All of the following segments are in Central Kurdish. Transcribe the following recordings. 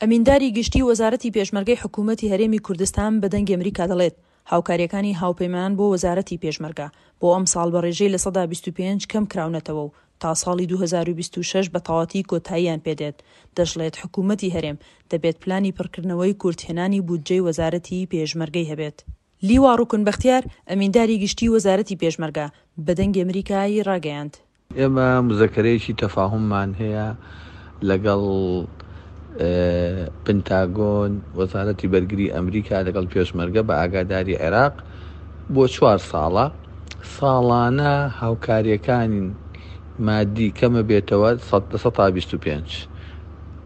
ئەمینداری گشتی وەزارەتی پێشمەرگەی حکوومەتی هەرێمی کوردستان بە دەنگی ئەمریکا دەڵێت، هاوکارییەکانی هاوپەیمانان بۆ وەزارەتی پێشمەرگە بۆ ئەمساڵ بە رێژەی 25% کەمکراونەتەوە و تا ساڵی 2026 بە تەواتی کۆتاییان پێدێت، دەشڵێت حکوومەتی هەرێم دەبێت پلانی پڕکردنەوەی کورتهێنانی بودجەی وەزارەتی پێشمەرگەی هەبێت. لیوا ڕوکن بەختیار، ئەمینداری گشتی وەزارەتی پێشمەرگە، بە دەنگی ئەمریکای ڕاگەیاند. ئێمە مزەکەرەیەکی تەفاهوممان هەیە لەگەڵ پنتاگۆن، وەزارەتی بەرگری ئەمریکا لەگەڵ پێشمەرگە بە ئاگاداری عێراق بۆ چوار ساڵە، ساڵانە هاوکارییەکانی مادی کەمە بێتەوە 25%.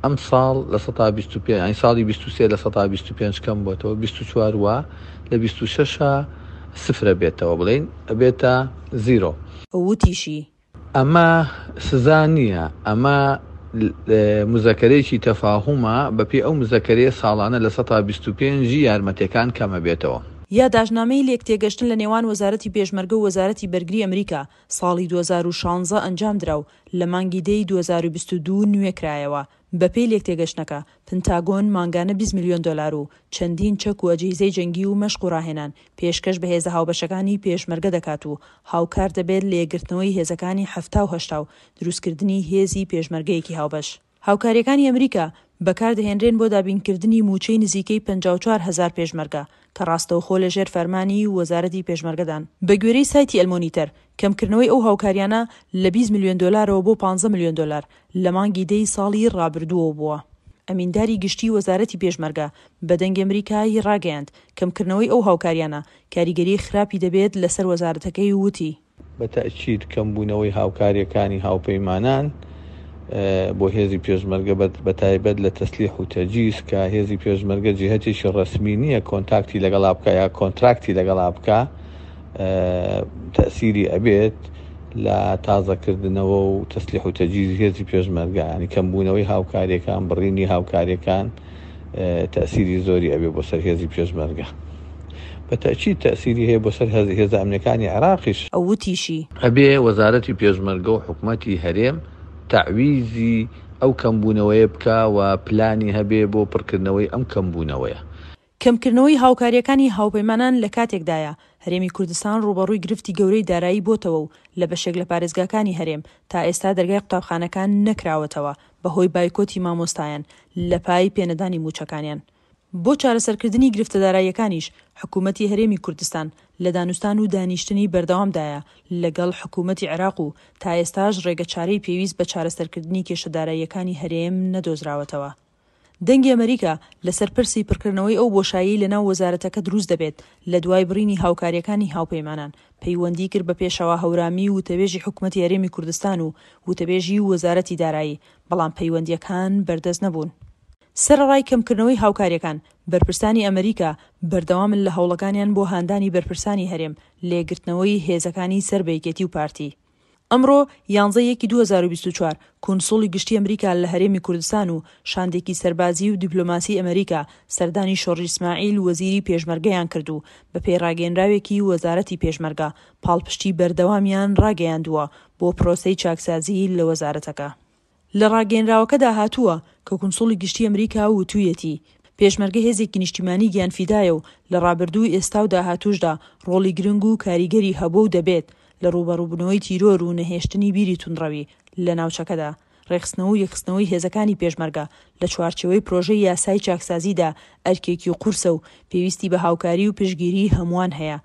ئەمساڵ 25%، یانی ساڵی 23 25% کەم بۆتەوە، 24 وا لە 26 سفرە بێتەوە بڵێین ئەبێتە زیرۆ. وتیشی. ئەمە سزا نییە، ئەمە مزەکەرەیەکی تەفاهومە، بەپێی ئەو مزەکەرەیە ساڵانە 25% ی یارمەتیەکان کەمەبێتەوە. یاداشتنامەی لێکتێگەشتن لە نێوان وەزارەتی پێشمەرگە و وەزارەتی بەرگری ئەمریکا ساڵی 2016 ئەنجامدرا و لە مانگی دەی 2022 نوێکرایەوە. بەپێی لێکتێگەشتنەکە، پنتاگۆن مانگانە 20 ملیۆن دۆلار و چەندین چەک و ئەجهیزەی جەنگی و مەشق و ڕاهێنان پێشکەش بە هێزە هاوبەشەکانی پێشمەرگە دەکات و هاوکار دەبێت لە یەکگرتنەوەی هێزەکانی 70 و 80 و دروستکردنی هێزی پێشمەرگەیەکی هاوبەش. هاوکارییەکانی ئەمریکا بەکاردەهێنرێن بۆ دابینکردنی مووچەی نزیکەی 54 هەزار پێشمەرگە کە ڕاستەوخۆ لەژێر فەرمانی وەزارەتی پێشمەرگەدان. بەگوێرەی سایتی ئەلمۆنیتەر، کەمکردنەوەی ئەو هاوکارییانە لە 20 ملیۆن دۆلارەوە بۆ 15 ملیۆن دۆلار لە مانگی دەی ساڵی ڕابردووەوە بووە. ئەمینداری گشتیی وەزارەتی پێشمەرگە بە دەنگی ئەمریکا ی ڕاگەیاند، کەمکردنەوەی ئەو هاوکارییانە کاریگەریی خراپی دەبێت لەسەر وەزارەتەکەی و وتی، بە تەئکید کەمبوونەوەی هاوکارییەکانی هاوپەیمانان بۆ هێزی پێشمەرگە بە تایبەت لە تەسلیح و تەجیز کە هێزی پێشمەرگە جیهەتێکی ڕەسمی نییە کۆنتاکتی لەگەڵا بکا یا کۆنتراکتی لەگەڵا بکا تەئسیری ئەبێت لە تازەکردنەوە و تەسلیح و تەجیزی هێزی پێشمەرگە یانی کەمبوونەوەی هاوکارییەکان بڕینی هاوکارییەکان تەئسیری زۆری ئەبێ بۆ سەر هێزی پێشمەرگە بە تەئکید تەئسیری هەیە بۆ سەر هێزە ئەمنیەکانی عێراقیش. ئەو وتیشی. ئەبێ وەزارەتی پێشمەرگە و حکومەتی هەرێم تەعویزی ئەو کەمبوونەوەیە بکا و پلانی هەبێ بۆ پڕکردنەوەی ئەم کەمبوونەوەیە. کەمکردنەوەی هاوکارییەکانی هاوپەیمانان لە کاتێکدایە، هەرێمی کوردستان ڕووبەڕووی گرفتی گەورەی دارایی بۆتەوە و لە بەشێک لە پارێزگاکانی هەرێم تا ئێستا دەرگای قوتابخانەکان نەکراوەتەوە بەهۆی بایکۆتی مامۆستایان لە پای پێنەدانی مووچەکانیان. بۆ چارەسەرکردنی گرفتە داراییەکانیش حکوومەتی هەرێمی کوردستان لە دانوستان و دانیشتنی بەردەوامدایە لەگەڵ حکوومەتی عێراق و تا ئێستاش ڕێگەچارەی پێویست بە چارەسەرکردنی کێشە داراییەکانی هەرێم نەدۆزراوەتەوە. دەنگی ئەمەریکا لەسەر پرسی پڕکردنەوەی ئەو بۆشاییەی لەناو وەزارەتەکە دروست دەبێت لە دوای بڕینی هاوکارییەکانی هاوپەیمانان، پەیوەندی کرد بە پێشەوا هەورامی وتەبێژی حکومەتی هەرێمی کوردستان و وتەبێژی وەزارەتی دارایی، بەڵام پەیوەندییەکان بەردەست نەبوون. سەرەڕای کەمکردنەوەی هاوکارییەکان، بەرپرسانی ئەمەریکا بەردەوامن لە هەوڵەکانیان بۆ هاندانی بەرپرسانی هەرێم لە یەکگرتنەوەی هێزەکانی سەر بە یەکێتی و پارتی. ئەمڕۆ یانزە یەکی 2024، کونسوڵی گشتی ئەمریکا لە هەرێمی کوردستان و شاندێکی سەربازی و دیپلۆماسی ئەمریکا سەردانی شۆڕش ئیسماعیل وەزیری پێشمەرگەیان کرد و بەپێی ڕاگەیەنراوێکی وەزارەتی پێشمەرگە پاڵپشتی بەردەوامیان ڕاگەیاندووە بۆ پرۆسەی چاکسازی لە وەزارەتەکە. لە ڕاگەیەنراوەکەدا هاتووە کە کونسوڵی گشتی ئەمریکا وتوویەتی، پێشمەرگە هێزێکی نیشتیمانی گیانفیدایە و لە ڕابردوو، ئێستا و داهاتووشدا ڕۆڵی گرنگ و کاریگەری هەبووە و دەبێت لە ڕووبەڕووبوونەوەی تیرۆر و نەهێشتنی بیری توندڕەوی لە ناوچەکەدا. ڕێکخستنەوە و یەکخستنەوەی هێزەکانی پێشمەرگە لە چوارچێوەی پرۆژەی یاسای چاکسازیدا ئەرکێکی قورسە و پێویستی بە هاوکاری و پشتگیریی هەمووان هەیە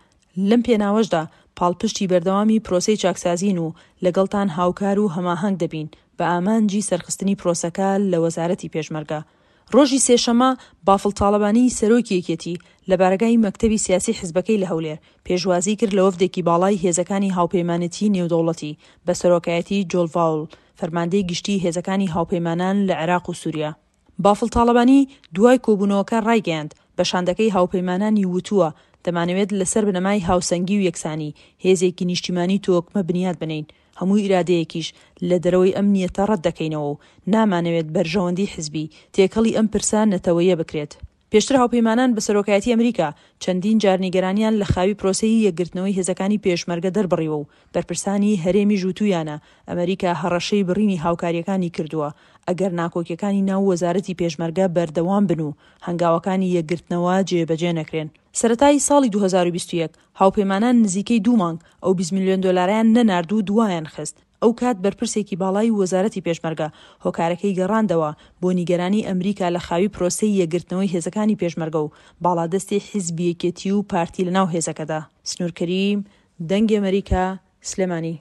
لەم پێناوەشدا پاڵپشتی بەردەوامی پرۆسەی چاکسازین و لەگەڵتان هاوکار و هەماهەنگ دەبین بە ئامانجی سەرخستنی پرۆسەکە لە وەزارەتی پێشمەرگە. ڕۆژی سێشەممە بافڵ تاڵەبانی سەرۆکی یەکێتی لە بارەگای مەکتەبی سیاسی حزبەکەی لە هەولێر پێشوازی کرد لە وەفدێکی باڵای هێزەکانی هاوپەیمانێتیی نێودەوڵەتی بە سەرۆکایەتی جۆل ڤاوڵ فەرماندەی گشتیی هێزەکانی هاوپەیمانان لە عێراق و سوریا. بافڵ تاڵەبانی دوای کۆبوونەوەکە ڕایگەیاند، بە شاندەکەی هاوپەیمانانی وتووە، دەمانەوێت لەسەر بنەمای هاوسەنگی و یەکسانی، هێزێکی نیشتیمانی تۆکمە بنیات بنێین، هەموو ئیرادەیەکیش لە دەرەوەی ئەم نیەتە ڕەت دەکەینەوە و نامانەوێت بەرژەوەندی حزبی، تێکەڵی ئەم پرسە نەتەوەییە بکرێت. پێشتر هاوپەیمانان بە سەرۆکایەتی ئەمریکا چەندین جار نیگەرانیان لە خاوی پرۆسەی یەکگرتنەوەی هێزەکانی پێشمەرگە دەربڕیوە و بەرپرسانی هەرێمیش وتوویانە ئەمریکا هەڕەشەی بڕینی هاوکارییەکانی کردووە ئەگەر ناکۆکیەکانی ناو وەزارەتی پێشمەرگە بەردەوام بن و هەنگاوەکانی یەکگرتنەوە جێبەجێ نەکرێن. سەرەتای ساڵی 2021 هاوپەیمانان نزیکەی دوو مانگ ئەو 20 ملیۆن دۆلارەیان نەنارد و دوایان خست. ئەو کات بەرپرسێکی باڵای وەزارەتی پێشمەرگە هۆکارەکەی گەڕاندەوە بۆ نیگەرانی ئەمریکا لە خاوی پرۆسەی یەکگرتنەوەی هێزەکانی پێشمەرگە و باڵادەستی حیزبی یەکێتی و پارتی لەناو هێزەکەدا. سنوور کەریم، دەنگی ئەمەریکا، سلێمانی.